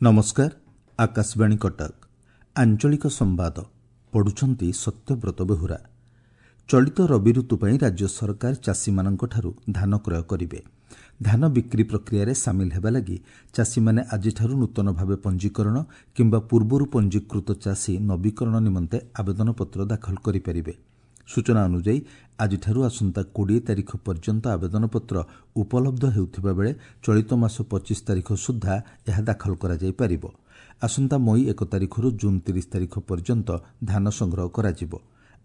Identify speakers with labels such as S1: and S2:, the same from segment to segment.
S1: ନମସ୍କାର, ଆକାଶବାଣୀ କଟକ। ଆଞ୍ଚଳିକ ସମ୍ବାଦ ପଢୁଛନ୍ତି ସତ୍ୟବ୍ରତ ବେହୁରା। ଚଳିତ ରବି ଋତୁ ପାଇଁ ରାଜ୍ୟ ସରକାର ଚାଷୀମାନଙ୍କଠାରୁ ଧାନ କ୍ରୟ କରିବେ। ଧାନ ବିକ୍ରି ପ୍ରକ୍ରିୟାରେ ସାମିଲ ହେବା ଲାଗି ଚାଷୀମାନେ ଆଜିଠାରୁ ନୂତନ ଭାବେ ପଞ୍ଜୀକରଣ କିମ୍ବା ପୂର୍ବରୁ ପଞ୍ଜୀକୃତ ଚାଷୀ ନବୀକରଣ ନିମନ୍ତେ ଆବେଦନପତ୍ର ଦାଖଲ କରିପାରିବେ। ସୂଚନା ଅନୁଯାୟୀ, ଆଜିଠାରୁ ଆସନ୍ତା 20 ତାରିଖ ପର୍ଯ୍ୟନ୍ତ ଆବେଦନପତ୍ର ଉପଲବ୍ଧ ହେଉଥିବା ବେଳେ ଚଳିତ ମାସ 25 ତାରିଖ ସୁଦ୍ଧା ଏହା ଦାଖଲ କରାଯାଇପାରିବ। ଆସନ୍ତା ମଇ 1 ତାରିଖରୁ ଜୁନ୍ 30 ତାରିଖ ପର୍ଯ୍ୟନ୍ତ ଧାନ ସଂଗ୍ରହ କରାଯିବ।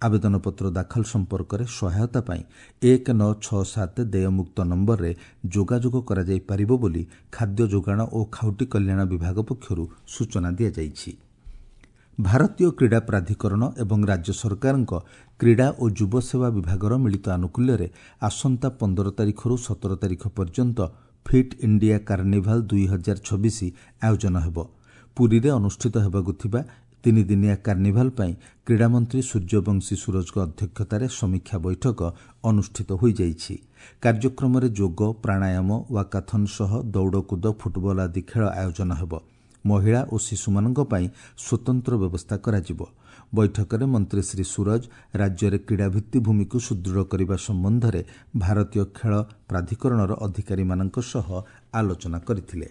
S1: ଆବେଦନପତ୍ର ଦାଖଲ ସମ୍ପର୍କରେ ସହାୟତା ପାଇଁ 1967 ଦେୟମୁକ୍ତ ନମ୍ବରରେ ଯୋଗାଯୋଗ କରାଯାଇପାରିବ ବୋଲି ଖାଦ୍ୟ ଯୋଗାଣ ଓ ଖାଉଟି କଲ୍ୟାଣ ବିଭାଗ ପକ୍ଷରୁ ସୂଚନା ଦିଆଯାଇଛି। ଭାରତୀୟ କ୍ରୀଡ଼ା ପ୍ରାଧିକରଣ ଏବଂ ରାଜ୍ୟ ସରକାରଙ୍କ କ୍ରୀଡ଼ା ଓ ଯୁବସେବା ବିଭାଗର ମିଳିତ ଆନୁକୂଲ୍ୟରେ ଆସନ୍ତା 15 ତାରିଖରୁ 17 ତାରିଖ ପର୍ଯ୍ୟନ୍ତ ଫିଟ୍ ଇଣ୍ଡିଆ କାର୍ଣ୍ଣିଭାଲ୍ 2026 ଆୟୋଜନ ହେବ। ପୁରୀରେ ଅନୁଷ୍ଠିତ ହେବାକୁ ଥିବା ତିନିଦିନିଆ କାର୍ଣ୍ଣିଭାଲ୍ ପାଇଁ କ୍ରୀଡ଼ାମନ୍ତ୍ରୀ ସୂର୍ଯ୍ୟବଂଶୀ ସୂରଜଙ୍କ ଅଧ୍ୟକ୍ଷତାରେ ସମୀକ୍ଷା ବୈଠକ ଅନୁଷ୍ଠିତ ହୋଇଯାଇଛି। କାର୍ଯ୍ୟକ୍ରମରେ ଯୋଗ, ପ୍ରାଣାୟାମ, ୱାକାଥନ୍ ସହ ଦୌଡ଼କୁଦ, ଫୁଟବଲ ଆଦି ଖେଳ ଆୟୋଜନ ହେବ। ମହିଳା ଓ ଶିଶୁମାନଙ୍କ ପାଇଁ ସ୍ୱତନ୍ତ୍ର ବ୍ୟବସ୍ଥା କରାଯିବ। ବୈଠକରେ ମନ୍ତ୍ରୀ ଶ୍ରୀ ସୂରଜ ରାଜ୍ୟରେ କ୍ରୀଡ଼ା ଭିତ୍ତିଭୂମିକୁ ସୁଦୃଢ଼ କରିବା ସମ୍ବନ୍ଧରେ ଭାରତୀୟ ଖେଳ ପ୍ରାଧିକରଣର ଅଧିକାରୀମାନଙ୍କ ସହ ଆଲୋଚନା କରିଥିଲେ।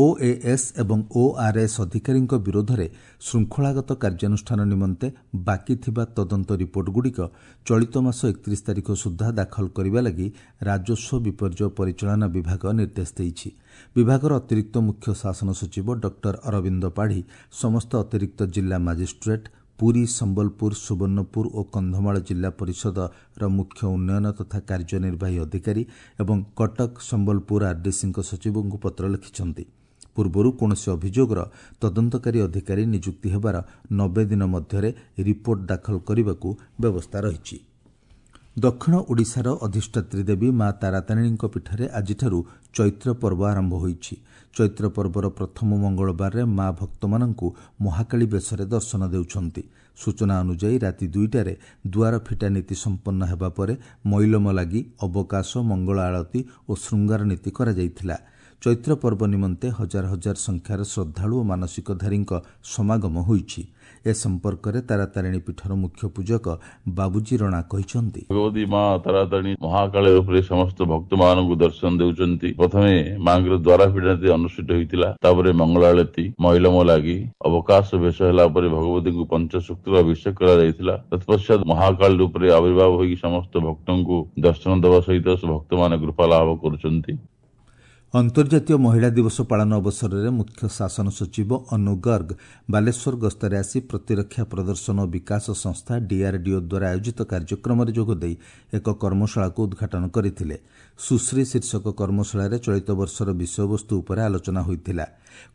S1: ଓଏଏସ୍ ଏବଂ ଓଆର୍ଏସ୍ ଅଧିକାରୀଙ୍କ ବିରୋଧରେ ଶୃଙ୍ଖଳାଗତ କାର୍ଯ୍ୟାନୁଷ୍ଠାନ ନିମନ୍ତେ ବାକି ଥିବା ତଦନ୍ତ ରିପୋର୍ଟଗୁଡ଼ିକ ଚଳିତ ମାସ 31 ତାରିଖ ସୁଦ୍ଧା ଦାଖଲ କରିବା ଲାଗି ରାଜସ୍ୱ ବିପର୍ଯ୍ୟୟ ପରିଚାଳନା ବିଭାଗ ନିର୍ଦ୍ଦେଶ ଦେଇଛି। ବିଭାଗର ଅତିରିକ୍ତ ମୁଖ୍ୟ ଶାସନ ସଚିବ ଡକ୍ଟର ଅରବିନ୍ଦ ପାଢ଼ୀ ସମସ୍ତ ଅତିରିକ୍ତ ଜିଲ୍ଲା ମାଜିଷ୍ଟ୍ରେଟ୍, ପୁରୀ, ସମ୍ବଲପୁର, ସୁବର୍ଣ୍ଣପୁର ଓ କନ୍ଧମାଳ ଜିଲ୍ଲା ପରିଷଦର ମୁଖ୍ୟ ଉନ୍ନୟନ ତଥା କାର୍ଯ୍ୟନିର୍ବାହୀ ଅଧିକାରୀ ଏବଂ କଟକ, ସମ୍ବଲପୁର ଆର୍ଡିସିଙ୍କ ସଚିବଙ୍କୁ ପତ୍ର ଲେଖିଛନ୍ତି। ପୂର୍ବରୁ କୌଣସି ଅଭିଯୋଗର ତଦନ୍ତକାରୀ ଅଧିକାରୀ ନିଯୁକ୍ତି ହେବାର 90 ଦିନ ମଧ୍ୟରେ ରିପୋର୍ଟ ଦାଖଲ କରିବାକୁ ବ୍ୟବସ୍ଥା ରହିଛି। ଦକ୍ଷିଣ ଓଡ଼ିଶାର ଅଧିଷ୍ଠାତ୍ରୀ ଦେବୀ ମା ତାରାତାରିଣୀଙ୍କ ପୀଠରେ ଆଜିଠାରୁ ଚୈତ୍ର ପର୍ବ ଆରମ୍ଭ ହୋଇଛି। ଚୈତ୍ର ପର୍ବର ପ୍ରଥମ ମଙ୍ଗଳବାରରେ ମା ଭକ୍ତମାନଙ୍କୁ ମହାକାଳୀ ବେଶରେ ଦର୍ଶନ ଦେଉଛନ୍ତି। ସୂଚନା ଅନୁଯାୟୀ, ରାତି 2ଟାରେ ଦୁଆର ଫିଟା ନୀତି ସମ୍ପନ୍ନ ହେବା ପରେ ମଇଲମ ଲାଗି, ଅବକାଶ, ମଙ୍ଗଳ ଆଳତୀ ଓ ଶୃଙ୍ଗାର ନୀତି କରାଯାଇଥିଲା। ଚୈତ୍ର ପର୍ବ ନିମନ୍ତେ ହଜାର ହଜାର ସଂଖ୍ୟାର ଶ୍ରଦ୍ଧାଳୁ ଓ ମାନସିକଧାରୀଙ୍କ ସମାଗମ ହୋଇଛି। ଏ ସମ୍ପର୍କରେ ତାରାତାରିଣୀ ପୀଠର ମୁଖ୍ୟ ପୂଜକ ବାବୁଜୀ ରଣା କହିଛନ୍ତି,
S2: ଭଗବତୀ ମା ତାରାତାରିଣୀ ମହାକାଳ ରୂପରେ ସମସ୍ତ ଭକ୍ତ ମାନଙ୍କୁ ଦର୍ଶନ ଦେଉଛନ୍ତି। ପ୍ରଥମେ ମାଙ୍କର ଦ୍ୱାର ଫିଟା ନୀତି ଅନୁଷ୍ଠିତ ହୋଇଥିଲା। ତାପରେ ମଙ୍ଗଳ ଆଳତୀ, ମଇଲମ ଲାଗି, ଅବକାଶ ବେଶ ହେଲା ପରେ ଭଗବତୀଙ୍କୁ ପଞ୍ଚସୂକ୍ତର ଅଭିଷେକ କରାଯାଇଥିଲା। ତତ୍ପଶ୍ଚାତ ମହାକାଳ ରୂପରେ ଆବିର୍ଭାବ ହୋଇକି ସମସ୍ତ ଭକ୍ତଙ୍କୁ ଦର୍ଶନ ଦେବା ସହିତ ଭକ୍ତମାନେ କୃପା ଲାଭ କରୁଛନ୍ତି।
S1: ଅନ୍ତର୍ଜାତୀୟ ମହିଳା ଦିବସ ପାଳନ ଅବସରରେ ମୁଖ୍ୟ ଶାସନ ସଚିବ ଅନୁ ଗର୍ଗ ବାଲେଶ୍ୱର ଗସ୍ତରେ ଆସି ପ୍ରତିରକ୍ଷା ପ୍ରଦର୍ଶନ ଓ ବିକାଶ ସଂସ୍ଥା ଡିଆର୍ଡିଓ ଦ୍ୱାରା ଆୟୋଜିତ କାର୍ଯ୍ୟକ୍ରମରେ ଯୋଗଦେଇ ଏକ କର୍ମଶାଳାକୁ ଉଦ୍ଘାଟନ କରିଥିଲେ। ସୁଶ୍ରୀ ଶୀର୍ଷକ କର୍ମଶାଳାରେ ଚଳିତ ବର୍ଷର ବିଷୟବସ୍ତୁ ଉପରେ ଆଲୋଚନା ହୋଇଥିଲା।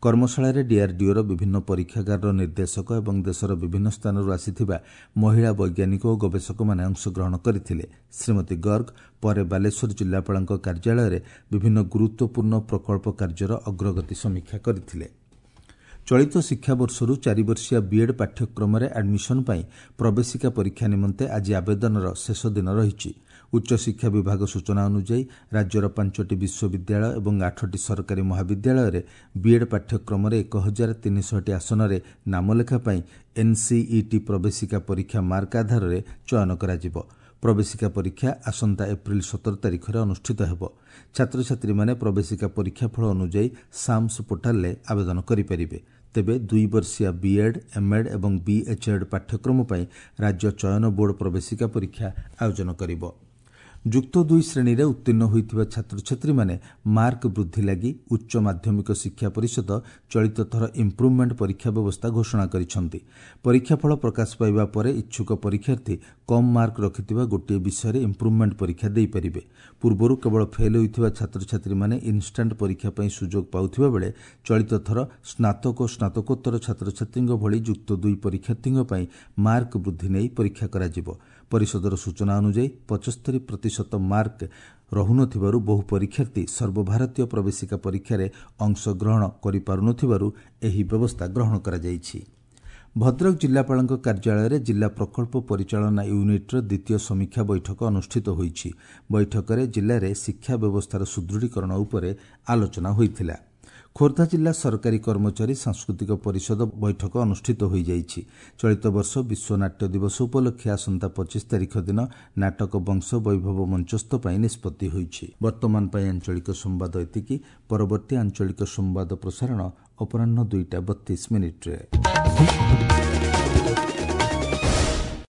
S1: କର୍ମଶାଳାରେ ଡିଆର୍ଡିଓର ବିଭିନ୍ନ ପରୀକ୍ଷାଗାରର ନିର୍ଦ୍ଦେଶକ ଏବଂ ଦେଶର ବିଭିନ୍ନ ସ୍ଥାନରୁ ଆସିଥିବା ମହିଳା ବୈଜ୍ଞାନିକ ଓ ଗବେଷକମାନେ ଅଂଶଗ୍ରହଣ କରିଥିଲେ। ଶ୍ରୀମତୀ ଗର୍ଗ ପରେ ବାଲେଶ୍ୱର ଜିଲ୍ଲାପାଳଙ୍କ କାର୍ଯ୍ୟାଳୟରେ ବିଭିନ୍ନ ଗୁରୁତ୍ୱପୂର୍ଣ୍ଣ ପ୍ରକଳ୍ପ କାର୍ଯ୍ୟର ଅଗ୍ରଗତି ସମୀକ୍ଷା କରିଥିଲେ। ଚଳିତ ଶିକ୍ଷାବର୍ଷରୁ 4 ବର୍ଷିଆ ବିଏଡ୍ ପାଠ୍ୟକ୍ରମରେ ଆଡମିସନ ପାଇଁ ପ୍ରବେଶିକା ପରୀକ୍ଷା ନିମନ୍ତେ ଆଜି ଆବେଦନର ଶେଷ ଦିନ ରହିଛି। ଉଚ୍ଚଶିକ୍ଷା ବିଭାଗ ସୂଚନା ଅନୁଯାୟୀ, ରାଜ୍ୟର 5ଟି ବିଶ୍ୱବିଦ୍ୟାଳୟ ଏବଂ 8ଟି ସରକାରୀ ମହାବିଦ୍ୟାଳୟରେ ବିଏଡ୍ ପାଠ୍ୟକ୍ରମରେ 1300ଟି ଆସନରେ ନାମଲେଖା ପାଇଁ ଏନ୍ସିଇଟି ପ୍ରବେଶିକା ପରୀକ୍ଷା ମାର୍କ ଆଧାରରେ ଚୟନ କରାଯିବ। ପ୍ରବେଶିକା ପରୀକ୍ଷା ଆସନ୍ତା ଏପ୍ରିଲ 17 ତାରିଖରେ ଅନୁଷ୍ଠିତ ହେବ। ଛାତ୍ରଛାତ୍ରୀମାନେ ପ୍ରବେଶିକା ପରୀକ୍ଷା ଫଳ ଅନୁଯାୟୀ ସାମ୍ସ ପୋର୍ଟାଲରେ ଆବେଦନ କରିପାରିବେ। ତେବେ 2 ବର୍ଷିଆ ବିଏଡ୍, ଏମ୍ଏଡ୍ ଏବଂ ବିଏଚ୍ଏଡ୍ ପାଠ୍ୟକ୍ରମ ପାଇଁ ରାଜ୍ୟ ଚୟନ ବୋର୍ଡ ପ୍ରବେଶିକା ପରୀକ୍ଷା ଆୟୋଜନ କରିବ। ଯୁକ୍ତ 2 ଶ୍ରେଣୀରେ ଉତ୍ତୀର୍ଣ୍ଣ ହୋଇଥିବା ଛାତ୍ରଛାତ୍ରୀମାନେ ମାର୍କ ବୃଦ୍ଧି ଲାଗି ଉଚ୍ଚ ମାଧ୍ୟମିକ ଶିକ୍ଷା ପରିଷଦ ଚଳିତ ଥର ଇମ୍ପ୍ରୁଭମେଣ୍ଟ ପରୀକ୍ଷା ବ୍ୟବସ୍ଥା ଘୋଷଣା କରିଛନ୍ତି। ପରୀକ୍ଷାଫଳ ପ୍ରକାଶ ପାଇବା ପରେ ଇଚ୍ଛୁକ ପରୀକ୍ଷାର୍ଥୀ କମ୍ ମାର୍କ ରଖିଥିବା ଗୋଟିଏ ବିଷୟରେ ଇମ୍ପ୍ରୁଭମେଣ୍ଟ ପରୀକ୍ଷା ଦେଇପାରିବେ। ପୂର୍ବରୁ କେବଳ ଫେଲ୍ ହୋଇଥିବା ଛାତ୍ରଛାତ୍ରୀମାନେ ଇନ୍ଷ୍ଟାଣ୍ଟ ପରୀକ୍ଷା ପାଇଁ ସୁଯୋଗ ପାଉଥିବା ବେଳେ ଚଳିତ ଥର ସ୍ନାତକ ଓ ସ୍ନାତକୋତ୍ତର ଛାତ୍ରଛାତ୍ରୀଙ୍କ ଭଳି ଯୁକ୍ତ 2 ପରୀକ୍ଷାର୍ଥୀଙ୍କ ପାଇଁ ମାର୍କ ବୃଦ୍ଧି ନେଇ ପରୀକ୍ଷା କରାଯିବ। ପରିଷଦର ସୂଚନା ଅନୁଯାୟୀ, 75% ମାର୍କ ରହୁନଥିବାରୁ ବହୁ ପରୀକ୍ଷାର୍ଥୀ ସର୍ବଭାରତୀୟ ପ୍ରବେଶିକା ପରୀକ୍ଷାରେ ଅଂଶଗ୍ରହଣ କରିପାରୁନଥିବାରୁ ଏହି ବ୍ୟବସ୍ଥା ଗ୍ରହଣ କରାଯାଇଛି। ଭଦ୍ରକ ଜିଲ୍ଲାପାଳଙ୍କ କାର୍ଯ୍ୟାଳୟରେ ଜିଲ୍ଲା ପ୍ରକଳ୍ପ ପରିଚାଳନା ୟୁନିଟ୍ର ଦ୍ୱିତୀୟ ସମୀକ୍ଷା ବୈଠକ ଅନୁଷ୍ଠିତ ହୋଇଛି। ବୈଠକରେ ଜିଲ୍ଲାରେ ଶିକ୍ଷା ବ୍ୟବସ୍ଥାର ସୁଦୃଢ଼ୀକରଣ ଉପରେ ଆଲୋଚନା ହୋଇଥିଲା। ଖୋର୍ଦ୍ଧା ଜିଲ୍ଲା ସରକାରୀ କର୍ମଚାରୀ ସାଂସ୍କୃତିକ ପରିଷଦ ବୈଠକ ଅନୁଷ୍ଠିତ ହୋଇଯାଇଛି। ଚଳିତ ବର୍ଷ ବିଶ୍ୱ ନାଟ୍ୟ ଦିବସ ଉପଲକ୍ଷେ ଆସନ୍ତା 25 ତାରିଖ ଦିନ ନାଟକ ବଂଶ ବୈଭବ ମଞ୍ଚସ୍ଥ ପାଇଁ ନିଷ୍ପତ୍ତି ହୋଇଛି। ବର୍ତ୍ତମାନ ପାଇଁ ଆଞ୍ଚଳିକ ସମ୍ବାଦ ଏତିକି। ପରବର୍ତ୍ତୀ ଆଞ୍ଚଳିକ ସମ୍ବାଦ ପ୍ରସାରଣ ଅପରାହ୍ନ 2ଟା 32 ମିନିଟ୍ରେ।